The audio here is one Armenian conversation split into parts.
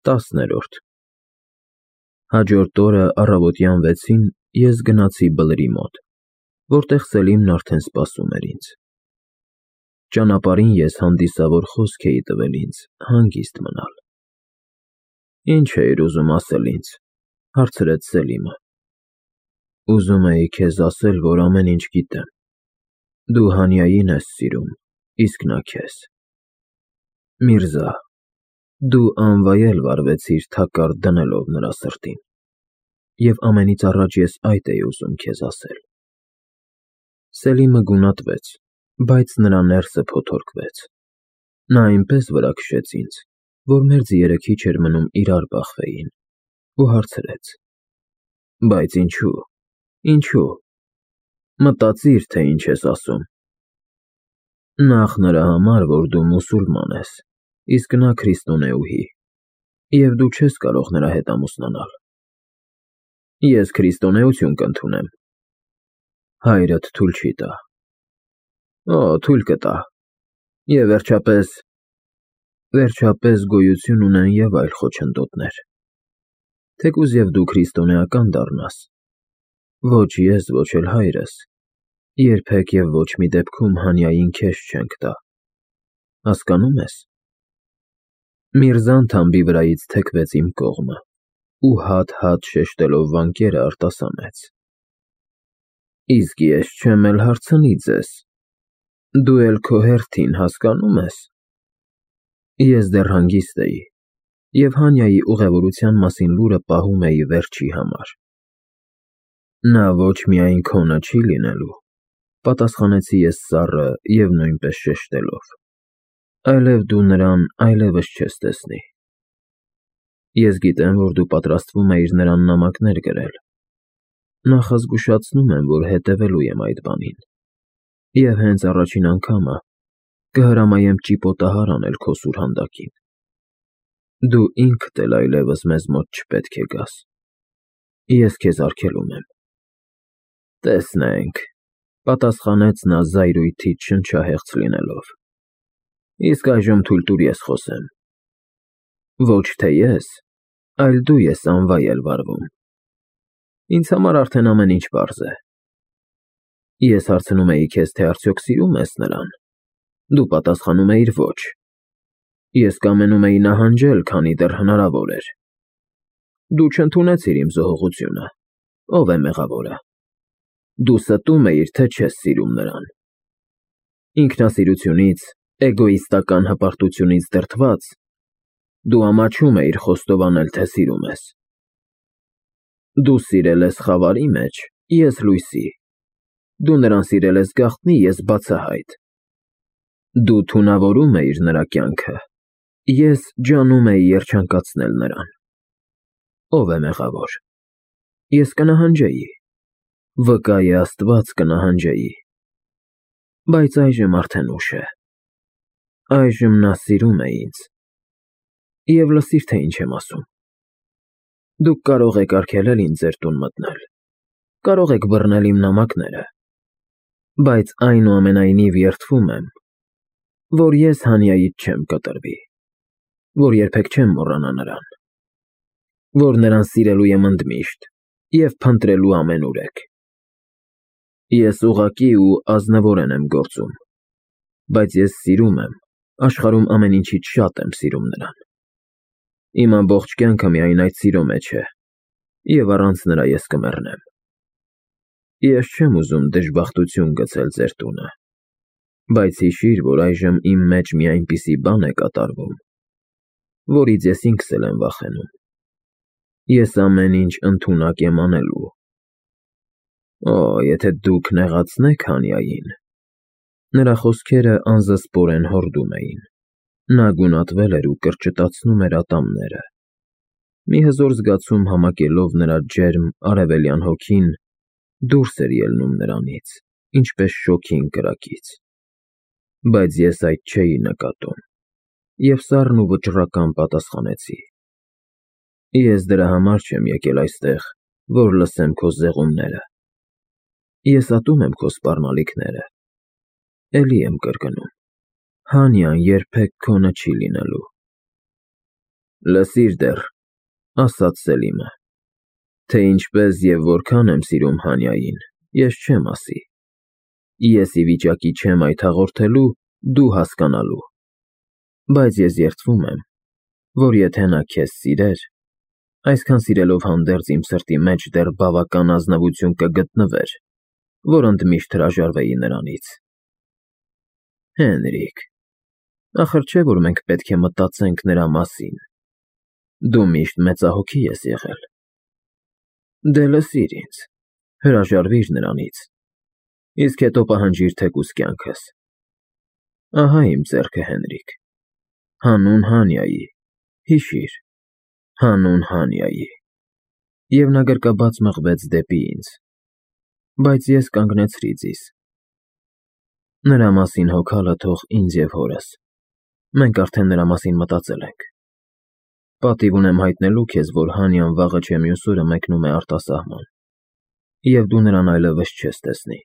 10-րդ Հաջորդ օրը առավոտյան 6-ին ես գնացի բլրի մոտ, որտեղ Սելիմն արդեն սպասում էր ինձ։ Ճանապարհին ես հանդիսավոր խոսք էի տվել ինձ հանգիստ մնալ։ Ինչ էիր ուզում ասել ինձ, հարցրեց Սելիմը։ Ուզում էի քեզ ասել, որ ամեն ինչ գիտեմ։ Դու Հանիային ես սիրում, իսկ նա քեզ։ Միրզա, դու անվայել վարվեցիր թակարդ դնելով նրա սրտին, և ամենից առաջ ես այդ էի ուզում քեզ ասել։ Սելիմը գունատվեց, բայց նրա ներսը փոթորկվեց։ Նա այնպես վրա քշեց ինձ, որ մեր ձիերը քիչ էր մնում իրար բախվեին, ու հարցրեց. Բայց ինչու։ Մտածիր, թե ինչ ես ասում։ Նախ նրա համար, որ դու մուսուլման ես, իսկ նա քրիստոնեուհի, և դու չես կարող նրա հետ ամուսնանալ։ Ես քրիստոնեություն կընդունեմ։ Հայրդ թույլ չի տա։ Օ, թույլ կտա։ Եվ վերջապես գոյություն ունեն և այլ խոչընդոտներ։ Թեկուզ և դու քրիստոնեական դառնաս, ոչ ես, ոչ էլ հայրս, երբեք և ոչ մի դեպքում Հանիային քեզ չենք տա։ Հասկանո՞ւմ ես։ Միրզան թամբի վրայից թեքվեց իմ կողմը ու հատ-հատ շեշտելով վանկերը արտասանեց. Իսկ ես չեմ էլ հարցնի ձեզ, դու էլ քո հերթին հասկանո՞ւմ ես։ Ես դեռ հանգիստ էի, և Հանիայի ուղևորության մասին լուրը պահում էի վերջի համար։ Նա ոչ միայն քոնը չի լինելու, պատասխանեցի ես սառը և նույնպես շեշտելով, այլև դու նրան այլևս չես տեսնի։ Ես գիտեմ, որ դու պատրաստվում էիր նրան նամակներ գրել։ Նախազգուշացնում եմ, որ հետևելու եմ այդ բանին, և հենց առաջին անգամը կհրամայեմ ճիպոտահար անել քո սուրհանդակին։ Դու ինքդ էլ այլևս մեզ մոտ չպետք է գաս։ Ես քեզ արգելում եմ։ Տեսնենք, պատասխանեց նա զայրույթից շնչահեղձ լինելով։ Իսկ այժմ թույլ տուր ես խոսեմ։ Ոչ թե ես, այլ դու ես անվայել վարվում։ Ինձ համար արդեն ամեն ինչ պարզ է։ Ես հարցնում էի քեզ, թե արդյոք սիրում ես նրան։ Դու պատասխանում էիր ոչ։ Ես կամենում էի նահանջել, քանի դեռ հնարավոր էր։ Դու չընդունեցիր իմ զոհողությունը։ Ո՞վ է մեղավորը։ Դու ստում էիր, թե չես սիրում նրան։ Ինքնասիրությունից, էգոիստական հպարտությունից դրդված, դու ամաչում էիր խոստովանել, թե սիրում ես։ Դու սիրել ես խավարի մեջ, ես լույսի։ Դու նրան սիրել ես գաղտնի, ես բացահայտ։ Դու թունավորում էիր նրա կյանքը, ես ջանում էի երջանկացնել նրան։ Ո՞վ է մեղավոր։ Ես կնահանջեի։ Վկա է Աստված, կնահանջեի։ Բայց այժմ արդեն ուշ է։ Այժմ նա սիրում է ինձ։ Եվ լսիր, թե ինչ եմ ասում։ Դուք կարող եք արգելել ինձ ձեր տուն մտնել, կարող եք բռնել իմ նամակները, բայց այնուամենայնիվ երդվում եմ, որ ես Հանիայից չեմ կտրվի, որ երբեք չեմ մոռանա նրան, որ նրան սիրելու եմ ընդմիշտ և փնտրելու ամենուրեք։ Ես ուղղակի ու ազնվորեն եմ գործում, բայց ես սիրում եմ, աշխարհում ամեն ինչից շատ եմ սիրում նրան։ Իմ ամբողջ կյանքը միայն այդ սիրո մեջ է, և առանց նրա ես կմեռնեմ։ Ես չեմ ուզում դժբախտություն գցել ձեր տունը, բայց հիշիր, որ այժմ իմ մեջ մի այնպիսի բան է կատարվում, որից ես ինքս էլ եմ վախենում։ Ես ամեն ինչ ընդունակ եմ անելու։ Օ, եթե դուք նեղացնեք Հանիային։ Նրա խոսքերը անզսպորեն հորդում էին։ Նա գունատվել էր ու կրճտացնում էր ատամները։ Մի հզոր զգացում համակելով նրա ջերմ արևելյան հոգին դուրս էր ելնում նրանից, ինչպես շոգին կրակից։ Բայց ես այդ չէի նկատում, և սառն ու վճռական պատասխանեցի. Ես դրա համար չեմ եկել այստեղ, որ լսեմ քո զեղումները։ Ես ատում եմ քո սպառնալիքները։ Էլի եմ կրկնում. Հանիան երբեք քոնը չի լինելու։ Լսիր դեռ, ասաց Սելիմը, թե ինչպես և որքան եմ սիրում Հանյային, ես չեմ ասի։ Ես ի վիճակի չեմ այդ հաղորդելու, դու հասկանալու։ Բայց ես երդվում եմ, որ եթե նա քեզ սիրեր, այսքան սիրելով հանդերձ իմ սրտի մեջ դեռ բավական ազնվություն կգտնվեր, որ ընդմիշտ հրաժարվեի նրանից։ Հենրիկ, ախր չէ՞ որ մենք պետք է մտածենք նրա մասին։ Դու միշտ մեծահոգի ես եղել։ Դե լսիր ինձ, հրաժարվիր նրանից, իսկ հետո պահանջիր թեկուզ կյանքս։ Ահա իմ ձեռքը, Հենրիկ, հանուն Հանյայի, հիշիր, հանուն Հանյայի։ Եվ նա գրկաբաց մղվեց դեպի ինձ, բայց ես կանգնեցրի ձիզ։ Նրա մասին հոգալը թող ինձ և հորս, մենք արդեն նրա մասին մտածել ենք։ Պատիվ ունեմ հայտնելու քեզ, որ Հանյան վաղը չէ մյուս օրը մեկնում է արտասահման, և դու նրան այլևս չես տեսնի։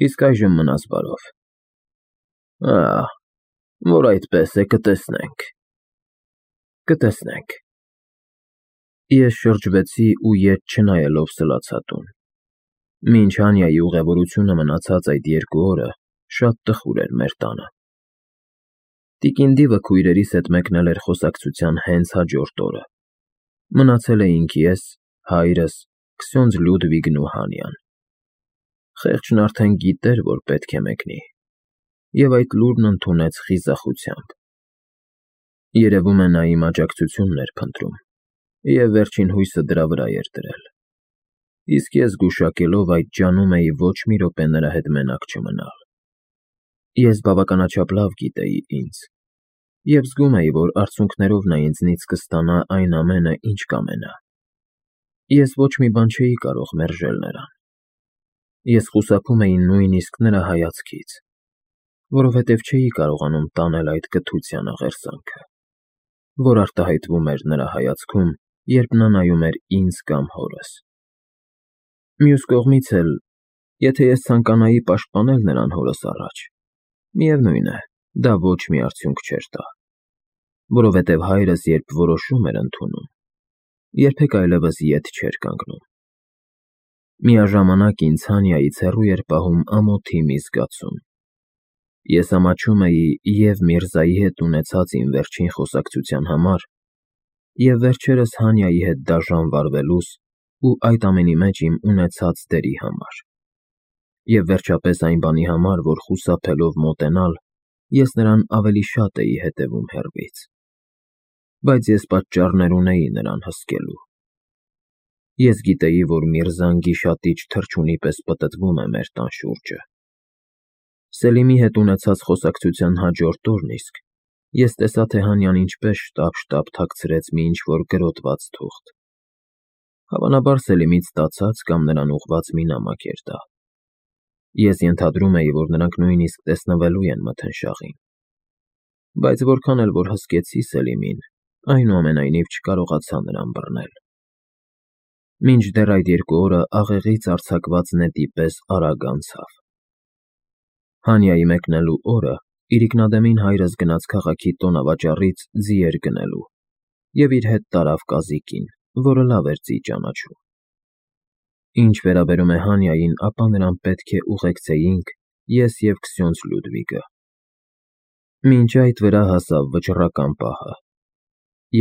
Իսկ այժմ մնաս բարով։ Որ այդպես է, կտեսնենք։ Կտեսնենք։ Ես շրջվեցի ու ետ չնայելով սլացա տուն։ Մինչ Հանյայի ուղևորությունը մնացած այդ 2 օրը շատ տխուր էր մեր տանը։ Տիկին Դիվը քույրերիս հետ մեկնել էր խոսակցության հենց հաջորդ օրը։ Մնացել էինք ես, հայրս, քսյոնձ Լյուդվիգն ու Հանյան։ Խեղճն արդեն գիտեր, որ պետք է մեկնի, և այդ լուրն ընդունեց խիզախությամբ։ Երևում է նա իմ աջակցությունն էր փնտրում, և վերջին հույսը դրա վրա էր դրել։ Իսկ ես գուշակելով այդ ջանում էի ոչ մի րոպե նրա հետ մենակ չմնալ։ Ես բավականաչափ լավ գիտեի ինձ, և զգում էի, որ արցունքներով նա ինձնից կստանա այն ամենը, ինչ կամենա։ Ես ոչ մի բան չէի կարող մերժել նրան։ Ես խուսափում էի նույնիսկ նրա հայացքից, որովհետև չէի կարողանում տանել այդ կթության աղերսանքը, որ արտահայտվում էր նրա հայացքում, երբ նա նայում էր ինձ կամ հորս։ Մյուս կողմից էլ, եթե ես ցանկանայի պաշտպանել նրան հորս առաջ, միևնույն է, դա ոչ մի արդյունք չէր տա, որովհետև հայրս երբ որոշում էր ընդունում, երբեք այլևս ետ չէր կանգնում։ Միաժամանակ ինձ Հանյայից հեռու էր պահում ամոթի մի զգացում։ Ես ամաչում էի և Միրզայի հետ ունեցած իմ վերջին խոսակցության համար, և վերջերս Հանյայի հետ դաժան վարվելուս ու այդ ամենի մեջ իմ ունեցած դերի համար, և վերջապես այն բանի համար, որ խուսափելով մոտենալ, ես նրան ավելի շատ էի հետևում հեռվից։ Բայց ես պատճառներ ունեի նրան հսկելու։ Ես գիտեի, որ Միրզան գիշատիչ թռչունի պես պտտվում է մեր տան շուրջը։ Սելիմի հետ ունեցած խոսակցության հաջորդ օրն իսկ ես տեսա, թե Հանյան ինչպես շտապ թաքցրեց մի ինչ-որ գրոտված թուղթ։ Հավանաբար Սելիմից ստացած կամ նրան ուղղված մի նամակ էր դա։ Ես ենթադրում էի, որ նրանք նույնիսկ տեսնվելու են մթնշաղին։ Բայց որքան էլ որ հսկեցի Սելիմին, այնուամենայնիվ չկարողացա նրան բռնել։ Մինչդեռ այդ 2 օրը աղեղից արձակված նետի պես արագ անցավ։ Հանյայի մեկնելու օրը իրիկնադեմին հայրս գնաց քաղաքի տոնավաճառից ձիեր գնելու և իր հետ տարավ կազիկին, որը լավ էր ձի ճանաչում։ Ինչ վերաբերում է Հանյային, ապա նրան պետք է ուղեկցեինք ես և քսյոնձ Լյուդվիգը։ Մինչ այդ վրա հասավ վճռական պահը,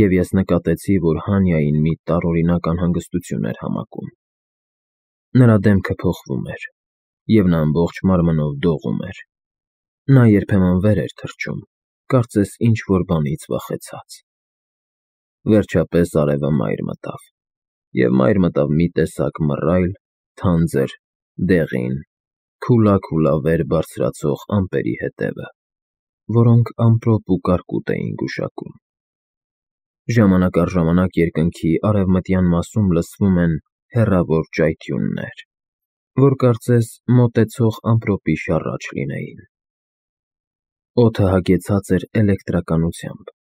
և ես նկատեցի, որ Հանյային մի տարօրինակ անհանգստություն էր համակում։ Նրա դեմքը փոխվում էր, և նա ամբողջ մարմնով դողում էր։ Նա երբեմն վեր էր թռչում, կարծես ինչ-որ բանից վախեցած։ Վերջապես արևը մայր մտավ, և մայր մտավ մի տեսակ մռայլ, թանձր, դեղին, քուլա վեր բարձրացող ամպերի հետևը, որոնք ամպրոպ ու կարկուտ էին գուշակում։ Ժամանակ առ ժամանակ երկնքի արևմտյան մասում լսվում են հեռավոր ճայթյուններ, որ կարծես մոտեցող ամպրոպի շառաչ լինեին։ Օդը հագեցած էր էլեկտրականությամբ,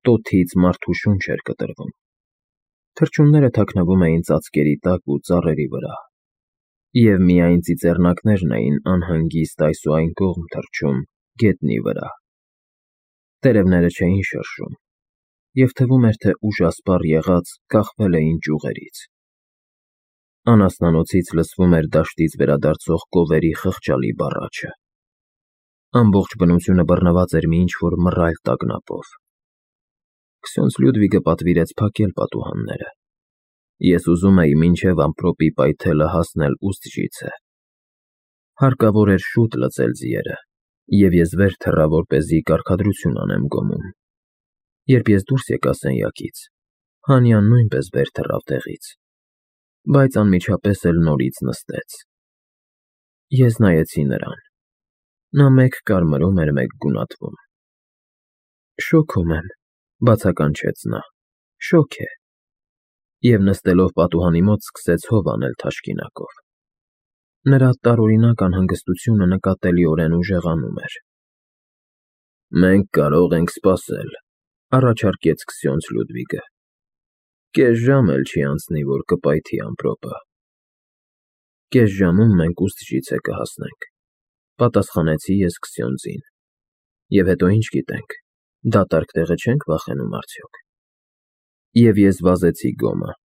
տոթից մարդու շունչ էր կտրվում։ Թռչունները թաքնվում էին ծածկերի տակ ու ծառերի վրա, և միայն ծիծեռնակներն էին անհանգիստ այս ու այն կողմ թռչում գետնի վրա։ Տերևները չէին շրշում, և թվում էր, թե ուժասպառ եղած կախվել էին ճյուղերից։ Անասնանոցից լսվում էր դաշտից վերադարձող կովերի խղճալի բառաչը։ Ամբողջ բնությունը բռնված էր մի ինչ-որ մռայլ տագնապով։ Քսյոնց Լյուդվիգը պատվիրեց փակել պատուհանները։ Ես ուզում էի մինչև ամպրոպի պայթելը հասնել Ուստժիցը։ Հարկավոր էր շուտ լծել ձիերը, և ես վեր թռա, որպեսզի կարգադրություն անեմ գոմում։ Երբ ես դուրս եկա սենյակից, Հանյան նույնպես վեր թռավ տեղից, բայց անմիջապես էլ նորից նստեց։ Ես նայեցի նրան։ Նա մեկ կարմրում էր, մեկ գունատվում։ Շոկում եմ, բացականչեց նա, շոգ է։ Եվ նստելով պատուհանի մոտ սկսեց հով անել թաշկինակով։ Նրա տարօրինակ անհանգստությունը նկատելիորեն ուժեղանում էր։ Մենք կարող ենք սպասել, առաջարկեց Քսյոնց Լյուդվիգը։ Կես ժամ էլ չի անցնի, որ կպայթի ամպրոպը։ Կես ժամում մենք Ուստժիցը կհասնենք, պատասխանեցի ես Քսյոնձին։ Եվ հետո ինչ գիտենք, դատարկ տեղը չենք վախենում արդյոք։ Եվ ես վազեցի գոմը։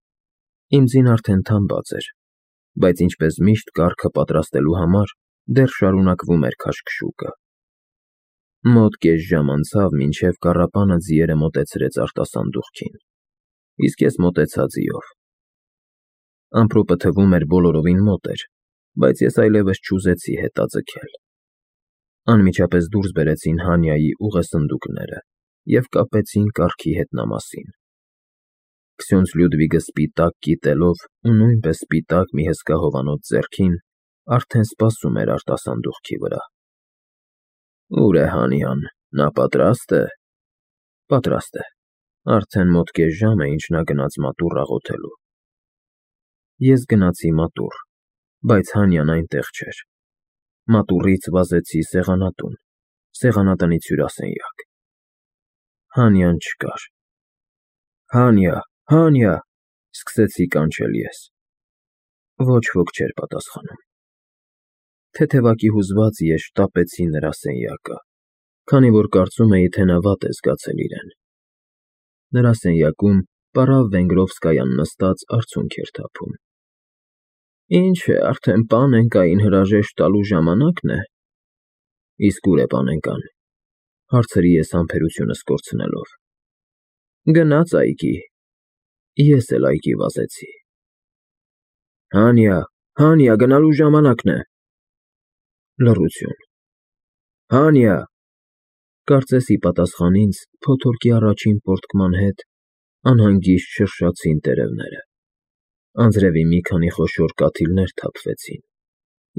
Իմ ձին արդեն թամբած էր, բայց ինչպես միշտ կառքը պատրաստելու համար դեռ շարունակվում էր քաշքշուկը։ Մոտ կես ժամ անցավ, մինչև կառապանը ձիերը մոտեցրեց արտասանդուղքին, իսկ ես մոտեցա ձիով։ Ամպրոպը թվում էր բոլորովին մոտ էր, բայց ես այլևս չուզեցի հետաձգել։ Անմիջապես դուրս բերեցին Հանյայի ուղեսնդուկները և կապեցին կառքի հետնամասին։ Քսյոնց Լյուդվիգը սպիտակ կիտելով ու նույնպես սպիտակ մի հսկա հովանոց ձեռքին արդեն սպասում էր արտասանդուղքի վրա։ Ուր է Հանյան, նա պատրաստ է։ Պատրաստ է։ Արդեն մոտ կես ժամ է, ինչ նա գնաց մատուռ աղոթելու։ Ես գնացի մատուռ, բայց Հանյան այնտեղ չէր։ Մատուռից վազեցի սեղանատուն, սեղանատնից հյուրասենյակ։ Հանյան չկար։ Հանյա, Հանյա, սկսեցի կանչել ես։ Ոչ ոք չէր պատասխանում։ Թեթևակի հուզված ես շտապեցի նրա սենյակը, քանի որ կարծում էի, թե նա վատ է զգացել իրեն։ Նրա սենյակում պարավ Վենգրովսկայան նստած արցունք էր թափում։ Ինչ է, արդեն պանենկային հրաժեշտ տալու ժամանակն է։ Իսկ ուր է պանենկան, հարցրի ես համբերությունս կորցնելով։ Գնաց այգի։ Ես էլ այգի վազեցի։ Հանյա, Հանյա, գնալու ժամանակն է։ Լռություն։ Հանյա։ Կարծես ի պատասխան ինձ փոթորկի առաջին պոռթկման հետ անհանգիստ շրշացին տերևները։ Անձրևի մի քանի խոշոր կաթիլներ թափվեցին,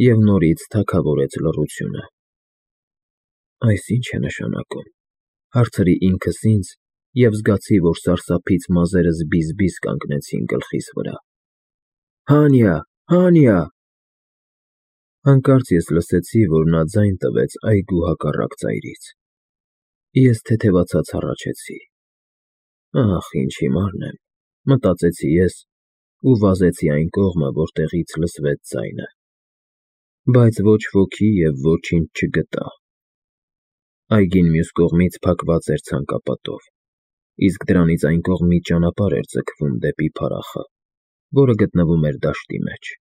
և նորից թագավորեց լռությունը։ Այս ի՞նչ է նշանակում, հարցրի ինքս ինձ և զգացի, որ սարսափից մազերս բիզ-բիզ կանգնեցին գլխիս վրա։ Հանյա, Հանյա։ Հանկարծ ես լսեցի, որ նա ձայն տվեց այգու հակառակ ծայրից։ Ես թեթևացած հառաչեցի։ Ահ, ինչ հիմարն եմ, մտածեցի ես ու վազեցի այն կողմը, որտեղից լսվեց ձայնը։ Բայց ոչ ոքի և ոչինչ չգտա։ Այգին մյուս կողմից փակված էր ցանկապատով, իսկ դրանից այն կողմից ճանապարհ էր ձգվում դեպի փարախը, որը գտնվում էր դաշտի մեջ։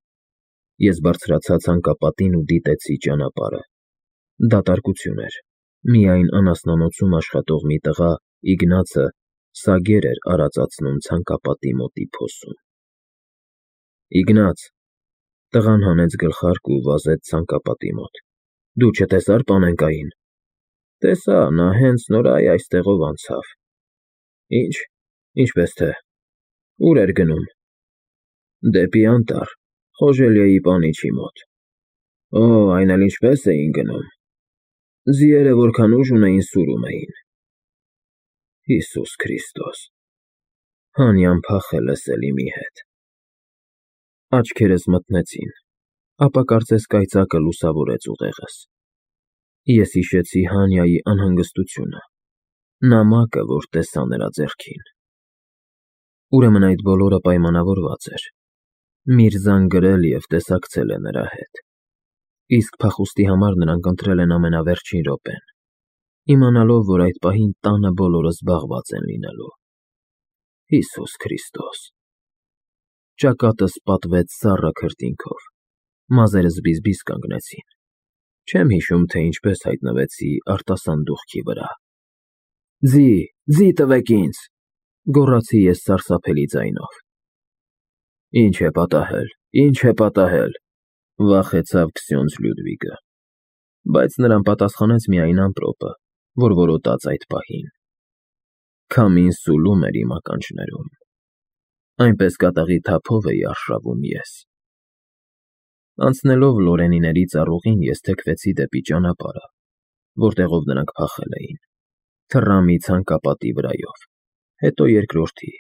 Ես բարձրացա ցանկապատին ու դիտեցի ճանապարհը։ Դատարկություն էր։ Միայն անասնանոցում աշխատող մի տղա, Իգնացը, սագեր էր արածացնում ցանկապատի մոտի փոսում։ Իգնաց։ Տղան հանեց գլխարկ ու վազեց ցանկապատի մոտ։ Դու չտեսա՞ր պանենկային։ Տեսա, նա հենց նոր այստեղով անցավ։ Ինչ, ինչպես թե։ Ուր էր գնում։ Դեպի անտառ, Խոժելիեի պանիչի մոտ։ Օ, այն էլ ինչպես էին գնում։ Ձիերը որքան ուժ ունեին, սուրում էին։ Հիսուս Քրիստոս։ Հանյան փախել է Սելիմի հետ։ Աչքերս մթնեցին, ապա կարծես կայծակը լուսավորեց ուղեղս։ Ես հիշեցի Հանյայի անհանգստությունը, նամակը, որ տեսա նրա ձեռքին։ Ուրեմն այդ բոլորը պայմանավորված էր։ Միրզան գրել և տեսակցել է նրա հետ։ Իսկ փախուստի համար նրանք ընտրել են ամենավերջին րոպեն, իմանալով, որ այդ պահին տանը բոլորը զբաղված են լինելու։ Հիսուս Քրիստոս։ Ճակատս պատվեց սառը քրտինքով, մազերս բիզբիզ կանգնեցին։ Չեմ հիշում, թե ինչպես հայտնվեցի արտասանդուղքի վրա։ Ձի տվեք ինձ, գոռացի ես սարսափելի ձայնով։ Ինչ է պատահել, վախեցավ Քսյոնձ Լյուդվիգը, բայց նրան պատասխանեց միայն ամպրոպը, որ որոտաց այդ պահին։ Քամին սուլում էր իմ ականջներում, այնպես կատաղի թափով էի արշավում ես։ Անցնելով Լորենիների ծառուղին, ես թեքվեցի դեպի ճանապարհը, որտեղով նրանք փախել էին, թռա մի ցանկապատի վրայով, հետո երկրորդի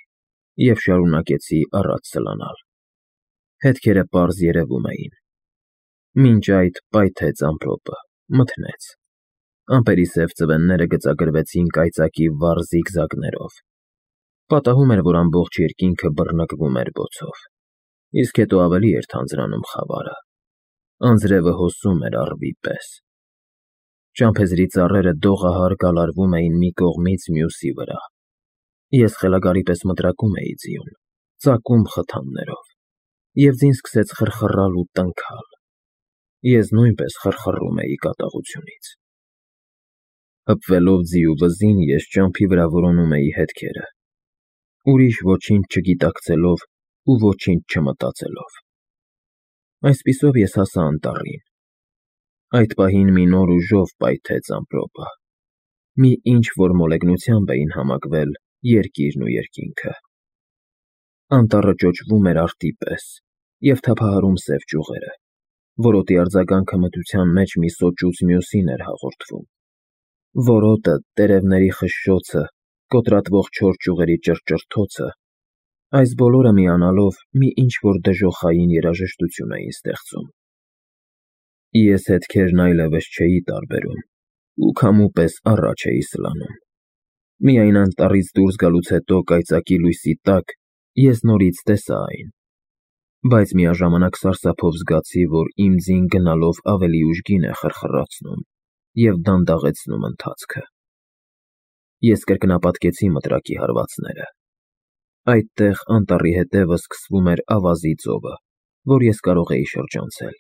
և շարունակեցի առաջ սլանալ։ Հետքերը պարզ երևում էին։ Մինչ այդ պայթեց ամպրոպը, մթնեց։ Ամպերի սև ծվենները գծագրվեցին կայծակի վառ զիգզագներով։ Պատահում էր, որ ամբողջ երկինքը բռնկվում էր բոցով, իսկ հետո ավելի էր թանձրանում խավարը։ Անձրևը հոսում էր առվի պես։ Ճամփեզրի ծառերը դողահար գալարվում էին մի կողմից մյուսի վրա։ Ես խելագարի պես մտրակում էի ձիուն, ծակում խթաններով, և ձին սկսեց խռխռալ ու տնքալ։ Ես նույնպես խռխռում էի կատաղությունից։ Հպվելով ձիու վզին, ես ճամփի վրա որոնում էի հետքերը, ուրիշ ոչինչ չգիտակցելով ու ոչինչ չմտածելով։ Այսպիսով ես հասա անտառին։ Այդ պահին մի նոր ուժով պայթեց ամպրոպը։ Մի ինչ-որ մոլեգնությամբ էին համակվել երկիրն ու երկինքը։ Անտառը ճոճվում էր արտի պես և թափահարում սև ճյուղերը, որոտի արձագանքը մթության մեջ մի սոճուց մյուսին էր հաղորդվում։ Որոտը, տերևների խշշոցը, կոտրատվող չոր ճյուղերի ճռճռթոցը, այս բոլորը միանալով մի ինչ-որ դժոխային երաժշտություն էին ստեղծում։ Ես հետքերն այլևս չէի տարբերում ու քամու պես առաջ էի սլանում։ Միայն անտառից դուրս գալուց հետո կայծակի լույսի տակ ես նորից տեսա այն, բայց միաժամանակ սարսափով զգացի, որ իմ ձին գնալով ավելի ուժգին է խռխռացնում և դանդաղեցնում ընթացքը։ Ես կրկնապատկեցի մտրակի հարվածները։ Այդտեղ անտառի հետևը սկսվում էր ավազի ծովը, որ ես կարող էի շրջանցել,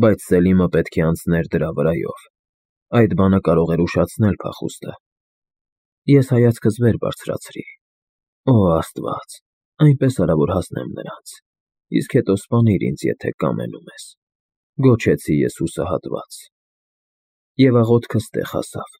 բայց Սելիմը պետք է անցներ դրա վրայով։ Այդ բանը կարող էր ուշացնել փախուստը։ Ես հայացքս վեր բարձրացրի։ Օ, Աստված, այնպես արա, որ հասնեմ նրանց, իսկ հետո սպանիր ինձ, եթե կամենում ես, գոչեցի ես հուսահատված։ Եվ աղոթքս տեղ հասավ։